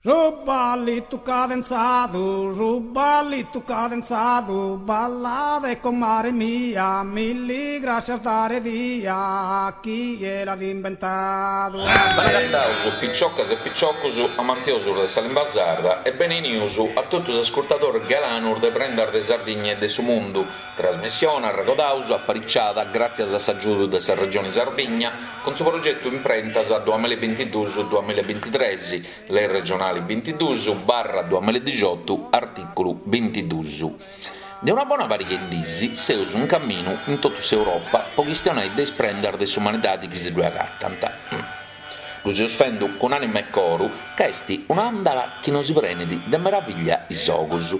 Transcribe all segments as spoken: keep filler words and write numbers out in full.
Su ballitu cadenzadu, su ballitu cadenzadu, ballade comare mia, milli grascias dare dia, chie l'at imbentadu. Benagataus piciocas e piciocus amantiosus de sa limba sarda e benenius a totu is ascurtadoris galanus de Prendas de Sardigna e de su Mundu, trasmissione, arregodaus, apariciada gràtzias a s'agiudu de sa Regioni Sardigna cun su progetu Imprentas duamilla e bintiduus duamilla e bintitres, Lei regionali bintiduus barra duamilla e dixiotu, artìculu bintiduus. De una bona pariga 'e dis seus in caminu in totu s'Europa po chistionai de is prendas de s'umanidadi chi si ddue agatant. Ddu seus fendu cun ànima e coru ca est un'àndala chi nosi prenit de meravìllia is ogus.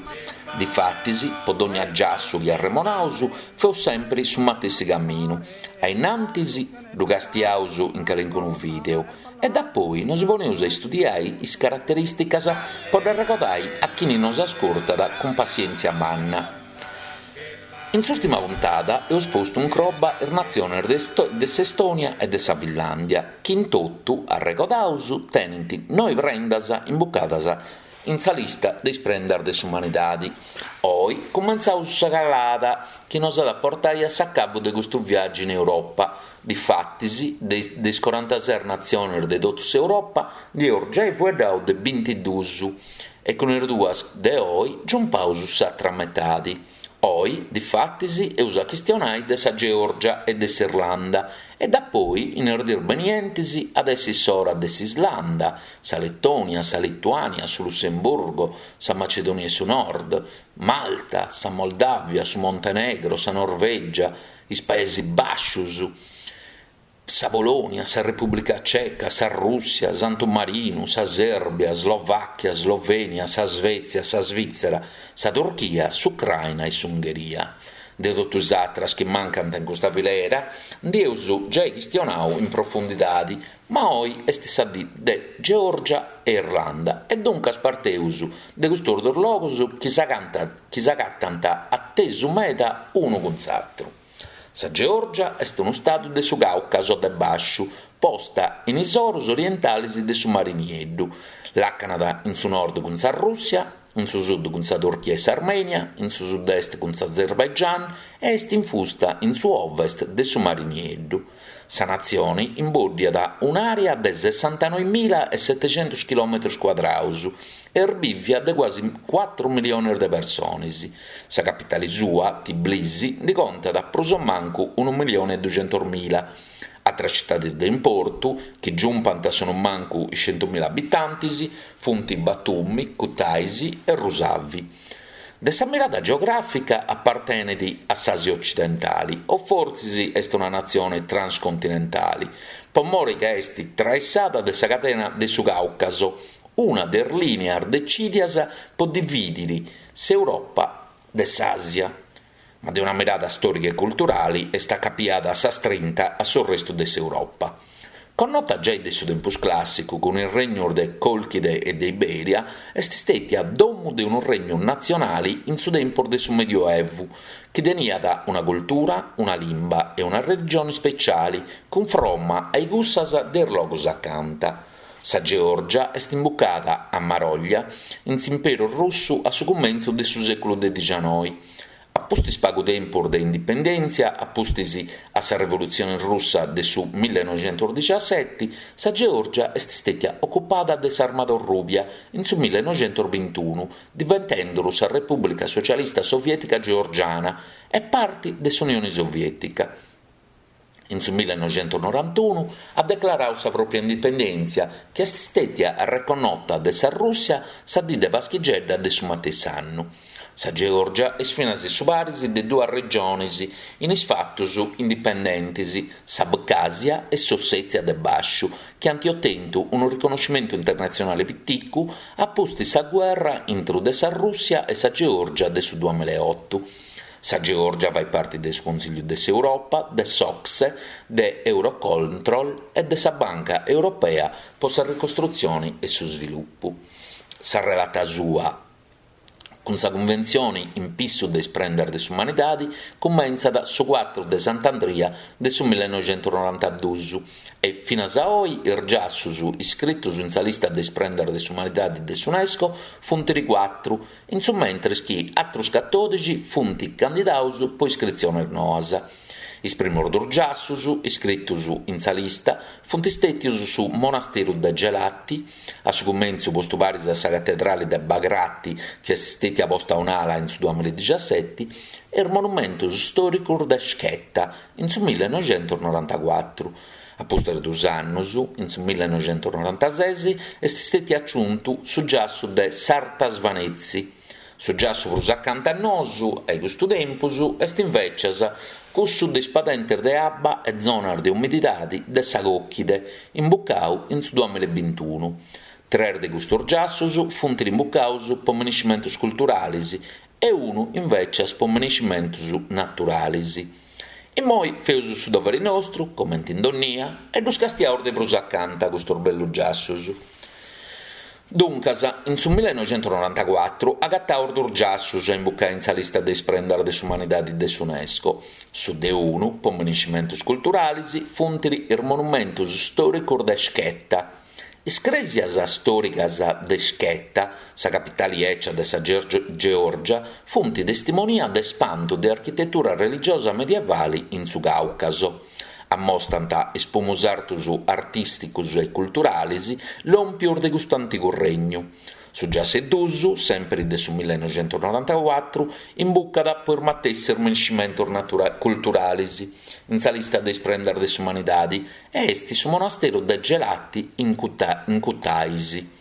Difatis, po dònnia giassu chi arremonaus, feus sempri su matessi caminu. A innantis ddu castiaus in calincunu vìdeu e dapoi nosi poneus a istudiai is caraterìsticas po dd'arregodai a chini nos ascurtat cun passièntzia manna. In s'ùrtima puntada eus postu in croba is natziones de s'Estònia e de sa Finlàndia, chi in totu, arregodaus, tenint noi prendas imbucadas in sa lista de is prendas de s'umanidadi. Oi cumentzaus sa calada chi nos at a portai a s'acabu de custu viàgiu in Europa. Difatis, de is corantases natziones de totu s'Europa ndi eus giai fueddau de bintiduus e cun is duas de oi giumpaus s'atra metadi. Oi, difatis, eus a chistionai de sa Geòrgia e de s'Irlanda e dapoi, in is dies benientes, at essi s'ora de s'Islanda, sa Letònia, sa Lituània, su Lussemburgo, sa Macedònia 'e su Nord, Malta, sa Moldàvia, su Montenegro, sa Norvègia, is Paesi Bàscius, sa Polònia, sa Repùblica Ceca, sa Rùssia, Santu Marinu, sa Sèrbia, Slovàchia, Slovènia, sa Svètzia, sa Svìtzera, sa Turchia, s'Ucraina e s'Ungheria. De totu is atras chi mancant in custa filera ndi eus giai chistionau in profundidadi, ma oi est sa dì de Geòrgia e Irlanda e duncas parteus de custus duus logus chi s'agatant a tesu meda unu cun s'atru. Sa Geòrgia est unu stadu de su Càucaso de Bàsciu, posta in is oros orientales de su Mari Nieddu. Làcanat in su nord cun sa Rùssia, in su sud cun sa Turchia e s'Armènia, in su sud-est cun s'Azerbaigian e est infusta in su ovest de su Mari Nieddu. Sa natzione imbòddiat un'àrea de sessantanoe mila e setecentos chilòmetros cuadrados e est bìvia de cuasi cuatru miliones de persones. Sa capitale sua, Tbilisi, ndi contat prus o mancu unu milione e duxentos mila. Atras citades de importu, chi giumpant a su mancu is centu mila abitantes, funt Batumi, Kutaisi e Rusavi. De sa mirada geogràfica apartenet a s'Àsia otzidentale, o fortzis est una natzione transcontinentale, pro more ca est traessada de sa cadena de su Càucaso, una de is lìnias detzìdias pro dividire s'Europa de s'Àsia. Ma de una mirada stòrica e culturale est acapiada a sa strinta a su restu de s'Europa. Connota giai de su tempus clàssicu cun is regnos de Còlchide e de Ibèria, est stètia domu de unu regnu natzionale in su tempus de su Medioevu, chi teniat una cultura, una limba e una religione ispetziale, cunfromma a cussas de is logos acanta. Sa Geòrgia est imbucada a Maròglia in s'Imperu Russu a su cumentzu de su sèculu de dicianoi. A pustis pagu tempus de indipendèntzia, a pustis a sa Rivolutzione Russa de su millenoixentosdiciaseti, sa Geòrgia est stètia ocupada de s'Armada Rubia in su millenoixentosbintunu, diventende sa Repùblica Socialista Soviètica Georgiana e parte de s'Unione Soviètica. In su millenoixentosnorantunu at declaradu sa pròpia indipendèntzia, chi est stètia reconnota de sa Rùssia sa die de Paschigedda de su matessi annu. Sa Geòrgia est finas su paris de duas regiones in is fatos indipendentes, s'Abcàsia e s'Ossètzia de Bàsciu, chi ant otentu unu riconnoschimentu internatzionale piticu a pustis sa gherra intro de sa Rùssia e sa Geòrgia de su duamilla e oto. Sa Geòrgia faghet parte de su Consìgiu de s'Europa, de s'O C S E, de Eurocontrol e de sa Banca Europea pro sa Ricostrutzione e su Svilupu. Sa relata sua Cun sa cunventzione in pissu de is prendas de s'umanidade cumentzat su cuatru de Sant'Andria de su millenoixentusnorantaduus e finas a oe is giassos iscritos in sa lista de is prendas de s'umanidade de s'UNESCO funt cuatru, in su mentres chi àteros catòdixi funt candidados pro iscritziones noas. Is primos duos giassos iscritos in sa lista funt istètios su monasteru de Gelati, a su cumentzu postu paris a sa catedrale de Bagrati, chi est istètia posta a un'ala in su duamilla e dixiaseti, e is monumentos istòricos de Mc'heta, in su millenoixentusnorantacuatru. A pustis de duos annos, in su millenoixentusnorantases, est istètiu agiuntu su giassu de S'Arta Svanetzi. Su giassu prus acanta a nosu, a custu tempus, est invècias cussu de is padentes de abba e zonas de umididade de sa Còlchide, imbucadu in su duamilla e bintunu. Tres de custos giassos funt imbucados pro minescimentos culturales e unu invècias pro minescimentos naturales. Imoi feus su dovere nostru, comente in donnia, e ddos castiaus de prus acanta custos bellos giassos. Duncas, in su millenoixentusnorantacuatru agataus duos giassos a imbucare in sa lista de is prendas de s'umanidade de s'UNESCO. Su de unu, pro minescimentos culturales, funt is monumentos istòricos de Mc'heta. Is crèsias istòricas de Mc'heta, sa capitale ecia de sa Georgia, funt testimonia de ispantu de architetura religiosa medievale in su Càucaso. Ammostrant is primos sartos artìsticos e culturales lòmpios de custu antigu regnu. Su giassu duus, semper de su millenoixentusnorantacuatru, imbucat pro is matessi minescimentos culturales in sa lista de is prendas de s'umanidade e est su monasteru de Gelati in Kutaisi.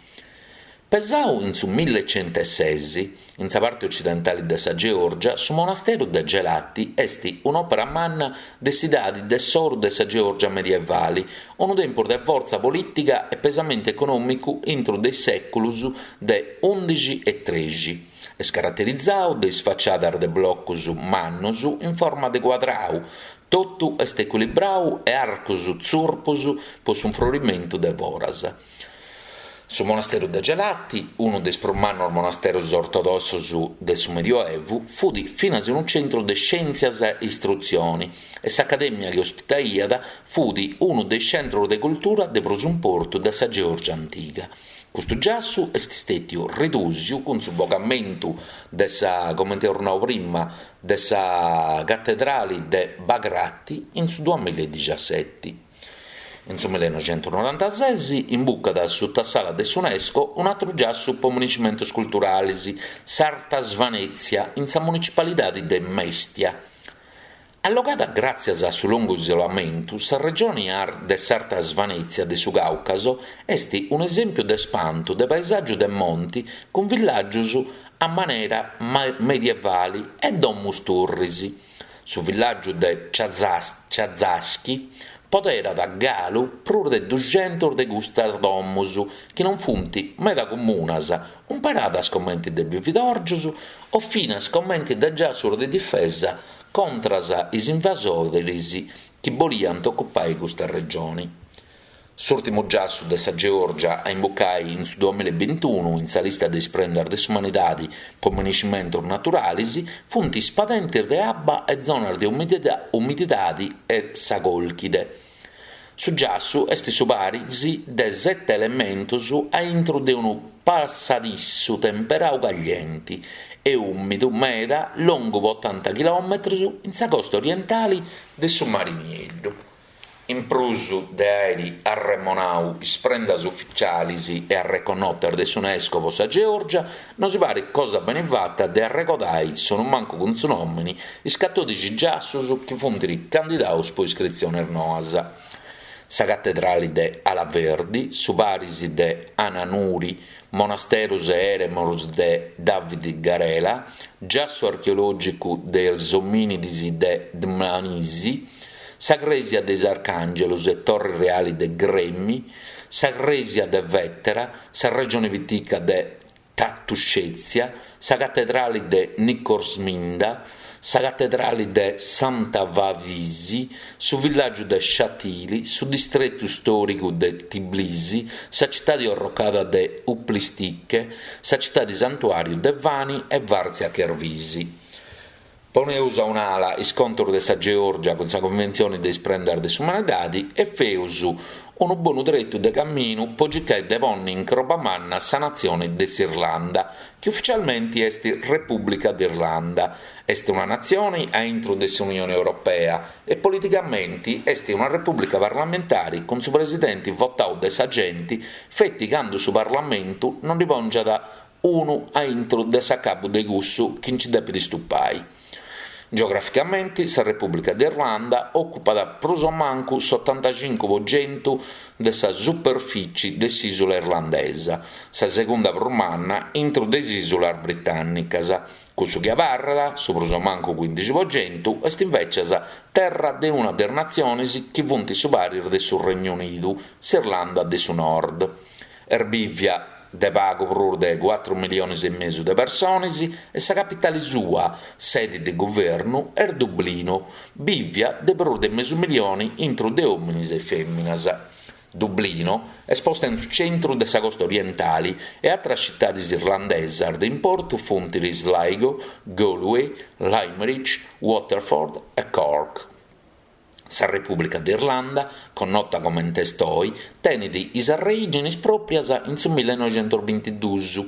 Pesadu in su millechentoses, in sa parte otzidentale de sa Georgia, su monasteru de Gelati est un'òpera manna de s'edade de s'oro de sa Georgia medievale, unu tempus de fortza polìtica e pesamentu econòmicu intro de is sèculos de ùndixi e trèixi. Est caraterizadu de is fatziadas de blocos mannos in forma de cuadradu, totu est ecuilibradu e arcos tzurpos pro s'infrorimentu de foras. Su monasteru de Gelati, unu de is prus mannos monasteros ortodossos de su Medioevu, fut finas unu tzentru de iscièntzias e istrutzione e s'acadèmia chi ospitaiat fut unu de is tzentros de cultura de prus importu de sa Georgia antiga. Custu giassu est istètiu ridùsiu cun su bogamentu de sa, comente amus nadu prima, de sa catedrale de Bagrati in su duamilla e dixiaseti. In su millenoixentusnorantases imbucat suta s'ala de s'UNESCO un'àteru giassu pro minescimentos culturales, s'Arta Svanetzia, in sa municipalidade de Mestia. Allogada gràtzias a su longu isolamentu, sa regione de s'Arta Svanetzia de su Càucaso est un'esèmpiu de ispantu de paesàgiu de monte cun villàgios a manera medievale e domos turres. Su villàgiu de Chazaschi poderat galu prus de dughentos de custas domos, chi non funt meda comunas, imperadas comente de bividòrgios o finas comente de giassos de difesa contra is invasores chi boliant ocupare custa regione. S'ùrtimu giassu de sa Georgia a imbucare in su duamilla e bintunu in sa lista de is prendas de s'umanidade pro minescimentos naturales funt is padentes de abba e zonas de umididade e sa Còlchide. Su giassu est su paris de sete elementos a intro de unu passadissu temperadu cagliente e ùmidu meda longu pro otanta chilòmetros in sa costa orientale de su Mare Nieddu. In prus de àere arremonadu is prendas ufitziales e arreconnotas de s'UNESCO pro sa Georgia, nos paret cosa bene fata de arregodare, sonumancu cun su nòmene, is catòdixi giassos chi funt candidados pro iscritziones noas. Sa catedrale de Alaverdi, su paris de Ananuri, monasteros e eremos de David Garela, giassu archeològicu de is omìnides de Dmanisi, sa crèsia de is Arcàngelos e Torre Reale de Gremi, sa crèsia de Vetera, sa regione pitica de Tatuscètzia, sa catedrale de Nikortsminda, sa catedrali de Samtavisi, su villàgiu de Shatili, su distretu stòricu de Tbilisi, sa citadi orrocada de Uplistsikhe, sa citadi santuàriu de Vani e Vardzia Chervisi. Poneus a un'ala is contos de sa Geòrgia cun sa Conventzione de is prendas de s'umanidade e feus unu bonu tretu de caminu po circai de ponni in croba manna sa natzione de s'Irlanda, chi ufitzialmente est Repùblica d'Irlanda. Est una natzione a intro de s'Unione Europea e politicamente est una repùblica parlamentare cun su presidente votadu de sa gente feti cando su Parlamentu non ndi pòngiat unu a intro de s'acabu de cussu chi nci depet istupai. Geograficamente sa Repùblica d'Irlanda òcupat prus o mancu s'otantacincu po chentu de sa superficie de s'ìsula irlandesa, sa segunda prus manna intro de is ìsulas britànnicas. Cussu chi abarrat, su prus o mancu quindixi po chentu, est invecias terra de una de is natziones chi funt su paris de su Regnu Unidu, s'Irlanda de su Nord. Est bìvia de pagu prus de cuatru miliones e mesu de persones e sa capitale sua, sede de guvernu, est Dublino, bìvia de prus de mesu milione intro de òmines e fèminas. Dublino est posta in su centru de sa costa orientale e àteras citades irlandesas de importu funt Sligo, Galway, Limerick, Waterford e Cork. Sa Repùblica d'Irlanda, connota comente est oe, tenet is arreìgines pròpias in su millenoighentos bintiduos,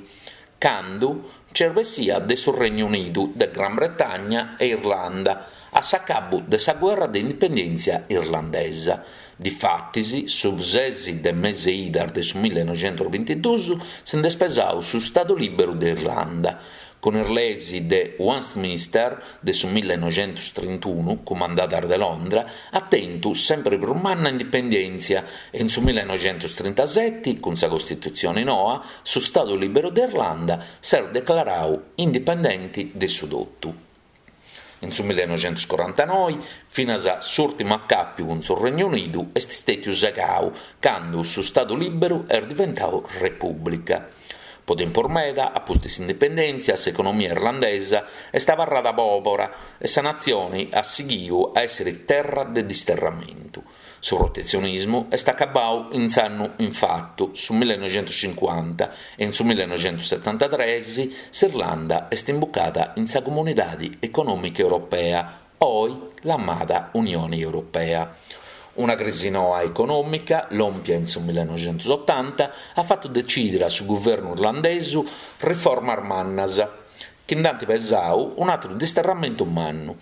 cando nch'est bessida de su Regnu Unidu de Gran Bretagna e Irlanda a s'acabu de sa gherra de indipendèntzia irlandesa. Difatis, su ses de mese idas de su millenoighentos bintiduos si nd'est pesadu su Stadu Lìberu de Irlanda. Cun is leis de Westminster de su millenoighentos trintunu, cumandadas de Londra, at tentu semper prus manna indipendèntzia e in su millenoighentos trintasete, cun sa Costitutzione noa, su Stadu Lìberu de Irlanda s'est declaradu indipendente de su totu. In su millenoighentos corantanoe, finas s'ùrtimu acàpiu cun su Regnu Unidu est istètiu segadu, cando su Stadu Lìberu est diventadu Repùblica. Po tempus meda, a pustis s'indipendèntzia, s'economia irlandesa est abarrada pòbera e sa natzione at sighidu a èssere terra de disterramentu. Su protetzionismu est acabadu in s'annu in fatu, su millenoighentos cincuanta, e in su millenoighentos setantatrès s'Irlanda est imbucada in sa Comunidade Econòmica Europea, oe lamada Unione Europea. Una crisi noa econòmica, lòmpia in su millenoighentos otanta, at fatu detzìdere a su guvernu irlandesu riformas mannas, chi nd'ant pesadu un'àteru disterramentu mannu.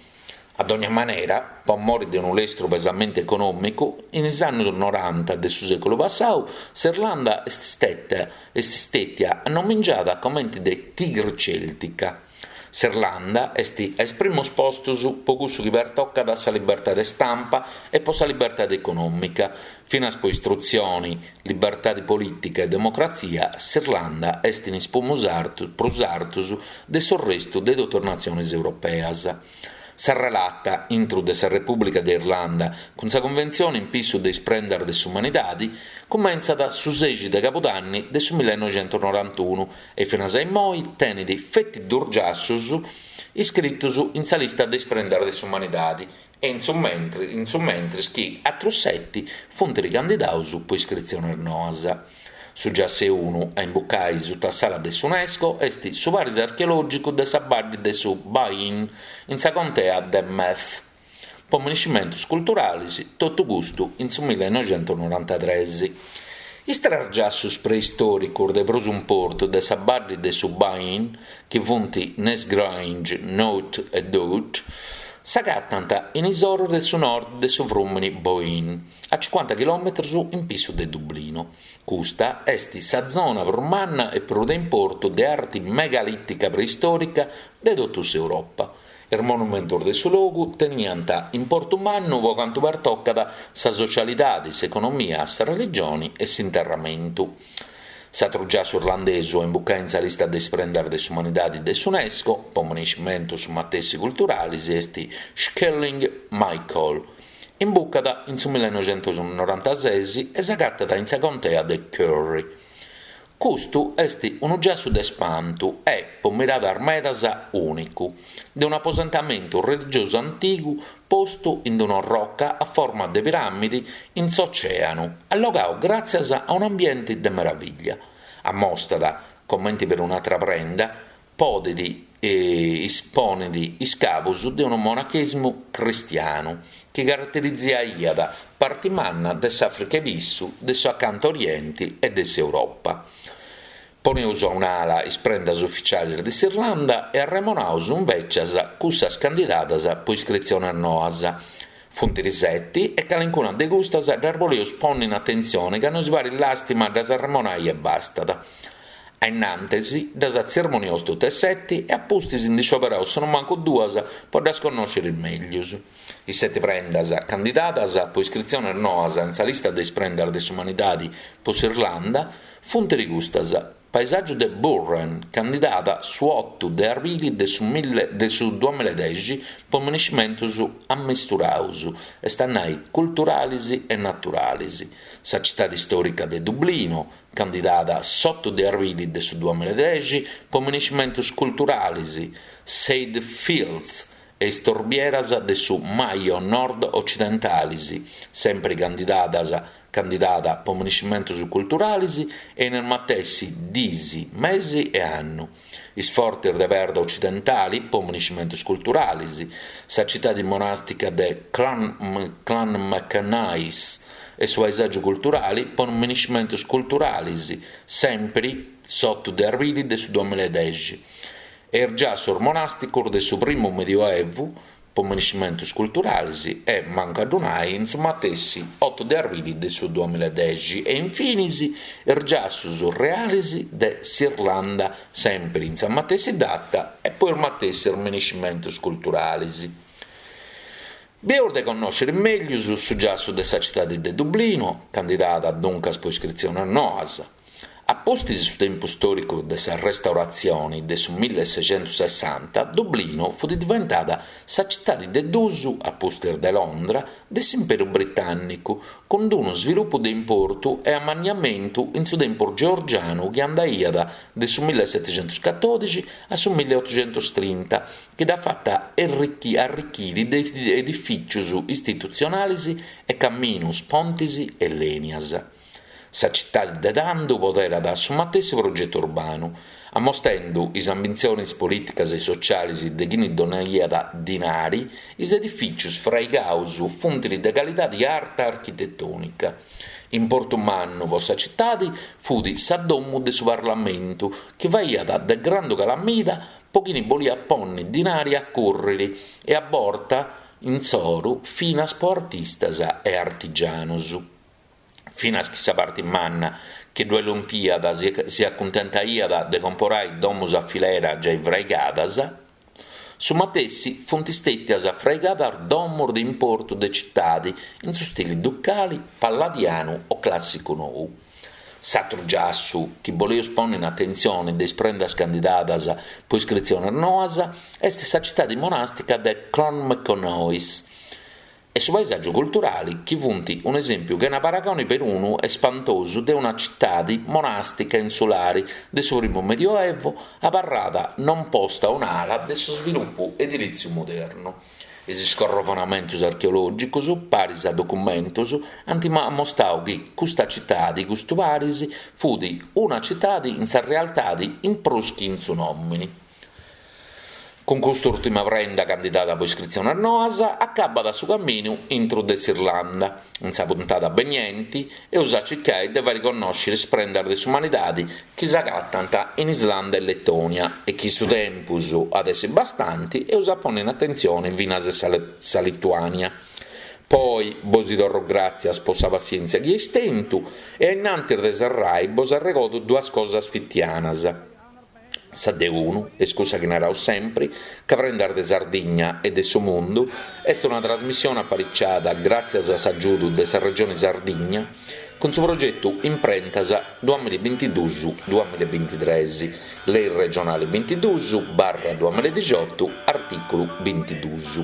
A dogna manera, pro more de unu lestru pesamentu econòmicu, in is annos noranta de su sèculu passadu, s'Irlanda est istètia annomingiada comente de Tigre Celtica. S'Irlanda est a is primos postos pro cussu chi pertocat sa libertade stampa e pro sa libertade econòmica. Finas pro istrutzione, libertade polìtica e democratzia, s'Irlanda est in is prus artos de su restu de totu is natziones europeas. Sa relata intro de sa Repùblica de Irlanda cun sa Conventzione in pissu de is prendas de s'umanidade cumentzat su sexi de Cabudanni de su millenoighentos norantunu e finas a imoi tenet feti duos giassos iscritos in sa lista de is prendas de s'umanidade e in su mentri, in su mentris chi àteros sete funt ricandidados pro iscritziones noas. Su giassu unu a imbucare sutta s'ala de s'UNESCO est su paris archeològicu de sa Badde de su Boyne, in sa contea de Meath. Po monumentos culturales, totu custu in su millenoighentos norantatrès. Is tres giassos preistòricos de prus importu de sa Badde de su Boyne, chi funt Nessgrange, Knowth e Dowth, s'agatant in is oros de su nord de su frùmene Boyne, a cincuanta chilòmetros in pissu de Dublino. Custa est sa zona prus manna e prus de importu de arte megalìtica preistòrica de totu s'Europa. Is monumentos de su logu teniant importu mannu pro cantu pertocat sa sotzialidade, s'economia, sa religione e s'interramentu. S'àteru giassu irlandesu a imbucare in sa lista de is prendas de s'umanidade de s'UNESCO, pro monumentos matessi culturales, est Skellig Michael. Imbucat in su millenoighentos norantases e s'agatat in sa contea de Kerry. Custu est unu giassu de spantu e, po miradas medas, ùnicu, de un'aposentamentu religiosu antigu postu in una roca a forma de piràmide in s'ocèanu, allogadu gràtzias a un'ambiente de meravìllia. Ammostat, comente per un'àtera prenda, podet eh, isponet is cabos de unu monachèsimu cristianu chi caraterizaiat parte manna de s'Àfrica 'e Pissu, de su Acanto Oriente e de s'Europa. Poneus a un'ala is prendas ufitziales de s'Irlanda e arremonaus invecias cussas candidadas po iscritziones noas. Funt seti e calincuna de custas ddas boleus ponni in atentzione ca nos parit làstima ddas arremonai e bastat. A innantis ddas atzermoniaus totu e seti e a pustis ndi scioperaus sonumancu duas po ddas connòscere mègius. Is seti prendas candidadas po iscritziones noas in sa lista de is prendas de s'umanidade po s'Irlanda funt custas: Paesàgiu de Burren, candidada su oto de arbili de su, mille, de su duamilla e dexi po miniscimentos ammisturados, est a nai culturales e naturales. Sa citade istòrica de Dublino, candidada s'oto de arbili de su duamilla e dexi po miniscimentos culturales, Ceide Fields e is torbieras de su Mayo nord-occidentales, sempre candidadas candidada po miniscimentos culturales e in is matessi dies, mesi e annu. Is fortes de perda occidentali po miniscimentos culturales, sa citade monàstica de Clonmacnoise e su paesàgiu culturale po miniscimentos culturales, sempre s'oto de arbili de su duamilla e dexi. E is giassos monàsticos de su primu Medioevu po miniscimentos culturales e, mancu a ddu nai, in su matessi oto de arbili de su duamilla e dexi. E infinis is giassos reales de s'Irlanda, sempre in sa matessi data e po is matessi miniscimentos culturales. Bieus de connòscere mègius su giassu de sa citade de Dublino, candidada duncas po iscritziones noas. A pustis su tempus stòricu de sa restauratzione de su milleseschentosessanta, Dublino fut diventada sa citade de dus, a pustis de Londra, de s'Imperu Britànnicu, cun unu svilupu de importu e ammanniamentu in su tempus georgianu chi andaiat de su millesetecentoscatòdixi a su milleotochentotrinta, chi dd'at fata arricchire de edifìtzios istitutzionales e caminos, pontes e lènias. Sa citade de tando poderat su matessi progetu urbanu, ammostende is ambitziones polìticas e sotziales de chine donaiat dinari, is edifìtzios fraigados funt de calidade arta architetònica. Importu mannu po sa citade fut sa domo de su Parlamentu, chi faghiat de grandu calamida po chine boliat pònnere dinari a cùrrere e a borta insoru finas po artistas e artigianos. Finas chi sa parte manna chi ddoe lompiat si acuntentaiat de comporare domos a filera giai fraigadas, su matessi funt istètias fraigadas domos de importu de citade in su stile ducale, palladianu o clàssicu nou. S'atru giassu chi boleus pònnere in atentzione de is prendas candidadas po iscritziones noas est sa citade monàstica de Clonmacnoise e su paesàgiu culturale chi funt un'esèmpiu chena paragone perunu e spantosu de una citade monàstica insulare de su primu Medioevo abarrada non posta a un'ala de su svilupu edilìtziu modernu. Is scorrovonamentos archeològicos, paris a documentos, ant ammostradu chi custa citade, custu paris, fut una citade in sa realtade in prus chi in su nòmine. Cun cust'ùrtima prenda candidada po iscritziones noas, acabat su caminu intro de s'Irlanda. In sa puntada beniente, eus a circare de fàere connòscere is prendas de s'umanidade chi s'agatant in Islanda e Letònia e chi su tempus at essere bastante eus a pònnere in atentzione finas sa, sa Lituània. Poi bos torro gràtzias po sa passièntzia chi eis tentu e a innantis de serrai bos arregodo duas cosas fitianas. Sa de unu, est cussa chi naraus sempre, ca Prendas de Sardigna e de su Mundu est una trasmissione apariciada gràtzias a s'agiudu de sa Regione Sardigna cun su progetu Imprentas duamilla e bintiduus duamilla e bintitrès, Lei regionale bintiduus barra duamilla e dixiotu, artìculu bintiduus.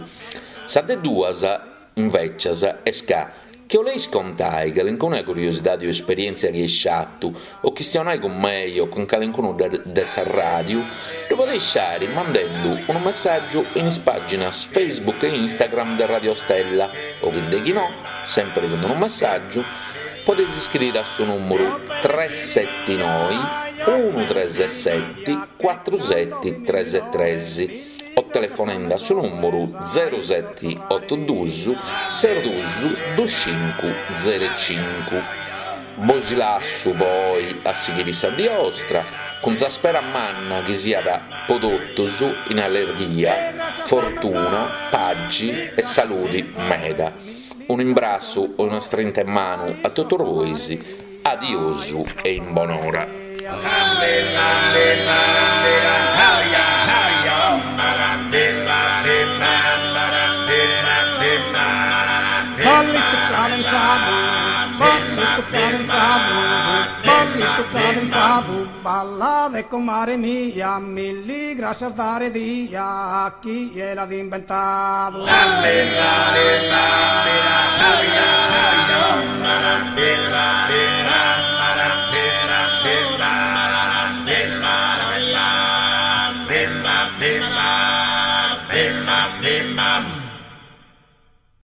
Sa de duas, invecias, est ca Chi 'oleis contai calincuna curiosidadi o esperièntzia chi eis fatu o chistionai cun mei o cun calincunu de de sa ràdiu, ddu podeis fari mandendu unu messàgiu in is pàginas Facebook e Instagram de Radio Stella o chi de chi no, sèmpiri cun unu messàgiu, podeis iscriri a su nùmeru tres seti noi unu tres seti cuatru seti tres tres o telefonende a su nùmeru zero seti otu duus ses duus dus cincu zero cincu. Bos lassu po oi a sighiri sa die 'ostra cun sa spera manna chi siat po totus in allerghia, fortuna, paxi e saludi meda. Un'imbrassu e una strinta 'e manu a totus bois, adiosu e in bonora. Ballitu cadenzadu, ballitu cadenzadu, ballitu cadenzadu, ballade comare mia, milli grascias dare dia a chie l'at imbentadu.